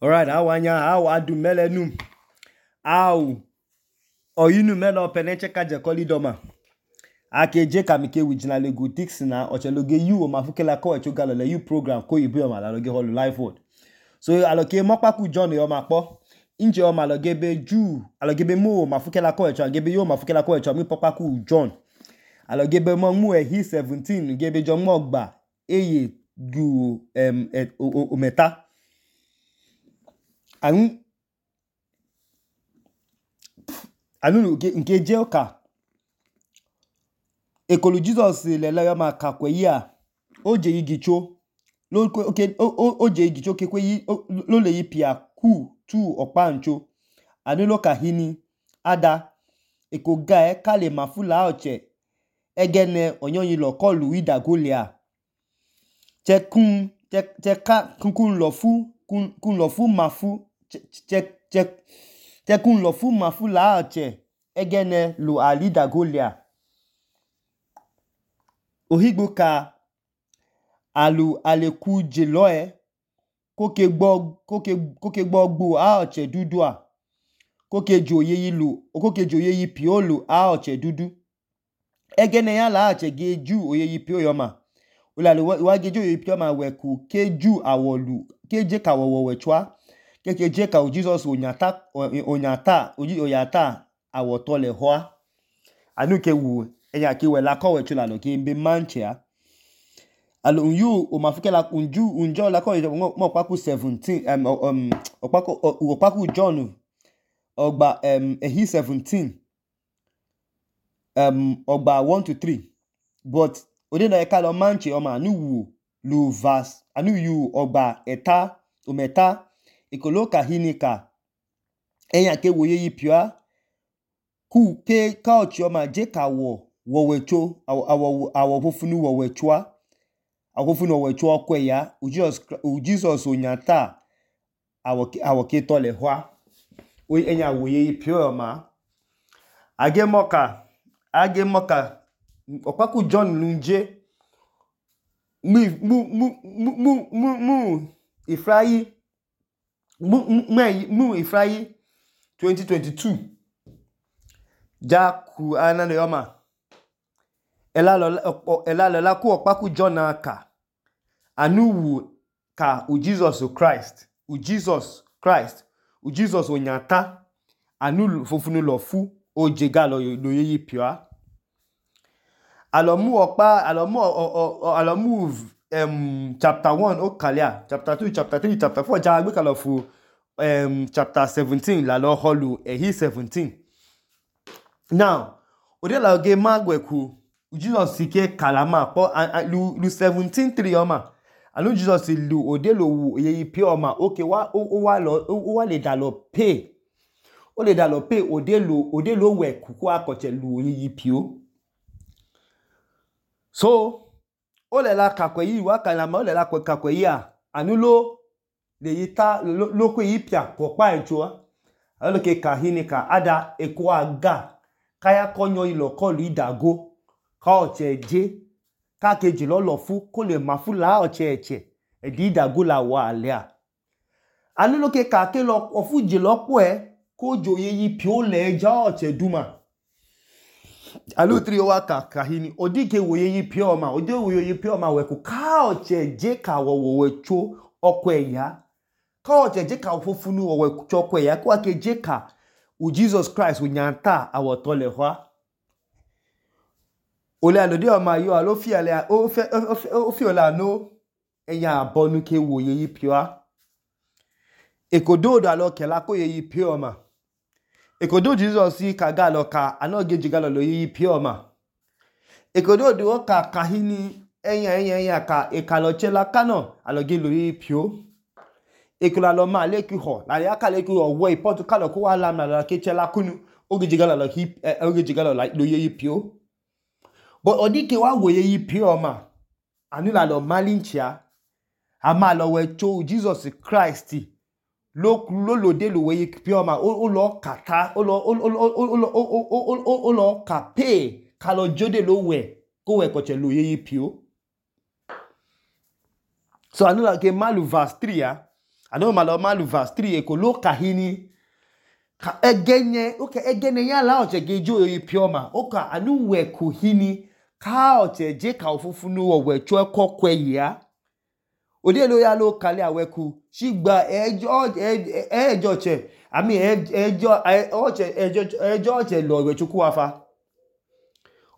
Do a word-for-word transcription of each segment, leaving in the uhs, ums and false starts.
Alright, awanya awa adu melenu. Aw oyinu melo peneche kaje kolidoma. Ake je kamike wijina legu Dixon ocheloge you o mafukela ko echogalo le you program ko ibu o malaloge holu live word. So aloke mokpaku John yo makpo. Inje o maloge be ju aloge be mo mafukela ko echo agebe yo mafukela ko echo mi pokpaku John. Aloge be mo mu ehi seventeen gebe jo mo gba eye gu em et, o, o, o meta. Anu anu nke je oka ekolu Jesus lele yo ma kakwe ya oje yigicho lo okay oje yigicho kekwe yi lo le yipia ku tu opancho anu lo kahini ada ekoga e kale mafula oche egene onyoyin lo kolu idagolia chekun cheka kun lo fu kun kun lo fu mafu che che che kun lo fu mafu la oche egene lo alidagolia ohigbo ka alu aleku jeloe koke gbo koke koke gbogbo a oche dudu a koke joye yilu koke joye yi piolu a oche dudu egene ya la oche geju oye yi pio yoma ulalu wa geju oye pio ma weku keju awolu keje ka wowo wechwa keke je ka Jesus onyata onyata oji oyata awoto le hoa anu ke wu eya ki we la ko wechu la lo ke mbe manchia alo unyu o mafukela unju unjo la ko mo paku seventeen um um opaku opaku John ogba um ehi seventeen um ogba one to three but ode na ka lo manchi o ma anu wu lu verse anu yu ogba eta ometa ikoloka hinika eya ke woye yi pia ku ke ka ochi o ma je ka wo wo wecho awo awo fofunu wo wechwa awo fofunu wo wechwa ko ya Jesus Jesus onyata awo awo ke to le hwa o enya woye yi pia o ma age moka age moka opaku John lunje mu mu mu mu mu mu ifrayi mu mu mu ifrayi twenty twenty-two ja ku anane yoma elalo elalo la ku opaku John aka anu wu ka u Jesus Christ u Jesus Christ u Jesus onyata anu fofunu lo fu o jega lo lo yi pia alomu opa alomu alomu um chapter one o kalia chapter two chapter three chapter four ja gbe kalo fu um chapter seventeen la lo holu ehi seventeen now ode la ge magweku Jesus sike kalama po lu lu seventeen three oma anu Jesus lu ode lo wu ye pie oma okay wa o wa lo o wa le da lo pay o le da lo pay ode lo ode lo we kuku akoche lu ye pio so o le la kakwe yi wa kalama o le la kakwe yi a anu lo le yita lo ko yi pia popa ejo alo ke kahinika ada eko aga kaya konyo ilo kolu idago ka oche je ka keji lo lo fu ko le mafu la oche eche edi idago la wa alia anu lo ke ka ke lo ofu je lo po e ko joye yi pio le ja oche duma alu three wa ka kahini odike woye yi pio ma ode woye yi pio ma we ku ka oche je ka wo wo wecho oko eya ka oche je ka fofunu wo wecho oko eya ko ake je ka u Jesus Christ unyanta awoto le hwa ole alode o ma yo alo fi ale o fe o fi ola no eya abonu ke woye yi pio ekodo do alo kela ko ye yi pio ma ekodo Jesus si kaga lo ka anoge jigalo lo yi pio ma ekodo do ka kahini eyan eyan eyan ka ekalo chela kano aloge lo yi pio ekola lo ma le ki ho la ya ka le ki ho wo ipotu kalo ko wa lam na la ke chela kunu oge jigalo lo ki oge jigalo lo yi pio but odike wa woye yi pio ma anu la lo malinchia ama lo we cho Jesus Christ lo lo lo de lo we pio ma o lo kata o lo o lo o lo o lo ka pay ka lo jode lo we ko we ko che lo yi pio so anu la ke malu verse three ya Anu malo malu verse three ekolo kahini ka egenye oke egene ya la oche gejo ipioma oka anu we kuhini ka oche je ka ofufunu owe cho kokwe ya ode lo ya lo kale aweku shigba ejo ejo che ami ejo oche ejo ejo oche lo we chuku afa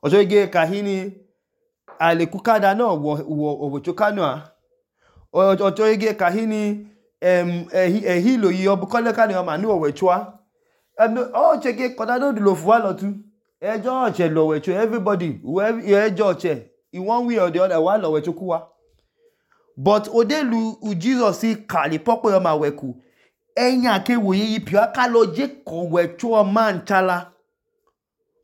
ojo ge kahini ale kukada no wo wo chukanu a ojo ge kahini em ehi lo yi obukole ka ni o ma nu owe chua oche ge koda do lo fu alo tu ejo oche lo we chu everybody whoever ejo oche in one way or the other wa lo we chuku wa but odelu u Jesus si kali popo yo ma weku enya ke wo yi pio aka lo je ko we chu o man chala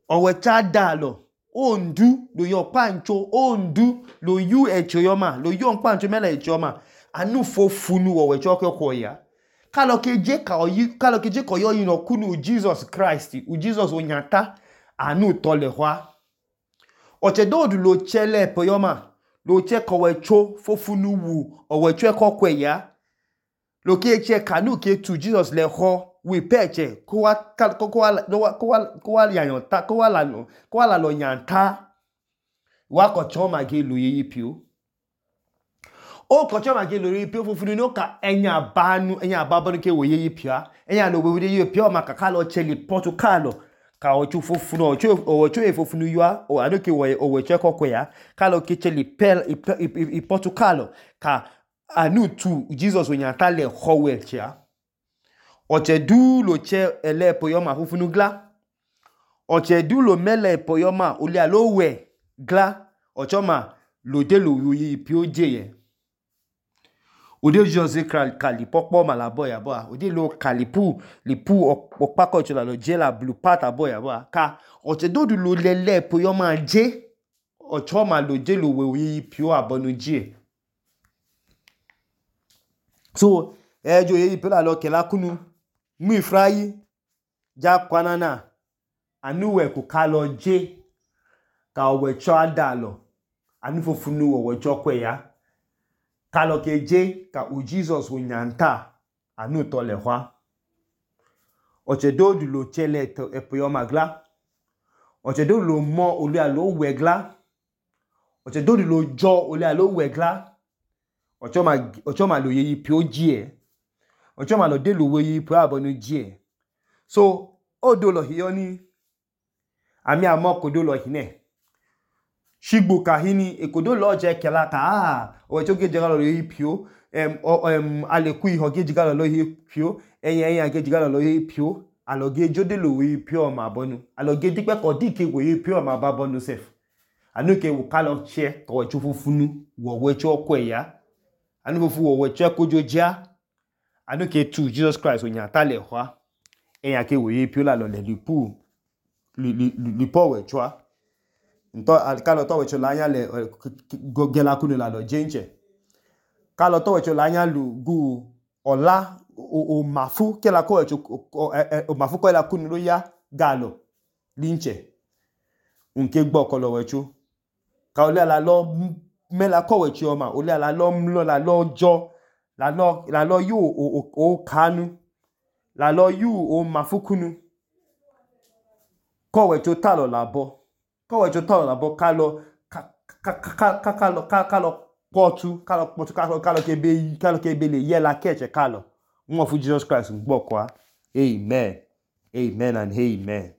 o we cha dalo ondu lo yo pancho ondu lo yu echo yo ma lo yo pancho mele echo ma anu fofunu wo we chu ko ya kalo ke je ka oyi kalo ke je ko yo yin okunu Jesus Christ u Jesus onyata anu tole hwa oche dodu lo chele po yo ma lo che ko we cho fofunu wu o we che ko kwe ya lo ke che kanu ke tu Jesus le ho we peche ko wa ko ko wa ko wa ko wa yan ta ko wa la no ko wa la lo yan ta wa ko cho ma ge lu yi pio o ko cho ma ge lu yi pio fofunu no ka enya banu enya babonu ke wo yi pio enya lo we yi pio ma ka ka lo cheli Portugal ka ochu fofunu ochu ochu efofunu yua o adoke wo o che kokwe ya ka lo ke cheli pel i Portugal ka anu tu Jesus onyata le howe chia oche du lo che ele poyoma fofunu gla oche du lo mele poyoma oli alo we gla ochoma lo de lo yi pioje ye ode Jesus kali popo malabo ya bo ode lo kalipu lipu opako chola lo je la blue part abo ya bo ka oche do du lo lele poyoma je ochoma lo je lo we yi pio abonu je so ejo yi pio la lo kela kunu mu ifrayi ja kwanana anu we ku ka lo je ka owe cho adalo anu fofunu owe cho kwe ya ka lo ke je ka u Jesus onyanta anu to le hwa oche do du lo chele to epoyo magla oche do lo mo oli alo wegla oche do du lo jo oli alo wegla ocho ma ocho ma lo yi pio je ocho ma lo de lo we yi pio abonu je so odo lo hiyo ni ami amoko do lo hine shigbo kahini ekodo lo je kela ka ah o cho ge jigalo lo yi pio em em aleku iho ge jigalo lo yi pio eyan eyan ge jigalo lo yi pio aloge jode lo yi pio ma bonu aloge dipe ko dike wo yi pio ma ba bonu sef anu ke wo kalo che ko chu fufunu wo we cho kweya anu fufu wo we che kojoja anu ke tu Jesus Christ onyata le hwa eyan ke wo yi pio la lo le lipu li li li po we chwa nto kalo to we cho la nya le gogela kunu la lo jenche kalo to we cho la nya lu gu ola o mafu ke la ko we cho o mafu ko la kunu lo ya galo linche unke gbo ko lo we cho ka ole la lo me la ko we cho ma ole la lo mlo la lo jo la lo la lo yu o o kanu la lo yu o mafu kunu ko we cho talo la bo ko we cho talo la bo ka lo ka ka ka ka lo ka ka lo potu ka lo potu ka lo ka lo ke be ka lo ke be le ye la keche ka lo mo fu Jesus Christ ngbo kwa amen amen and amen.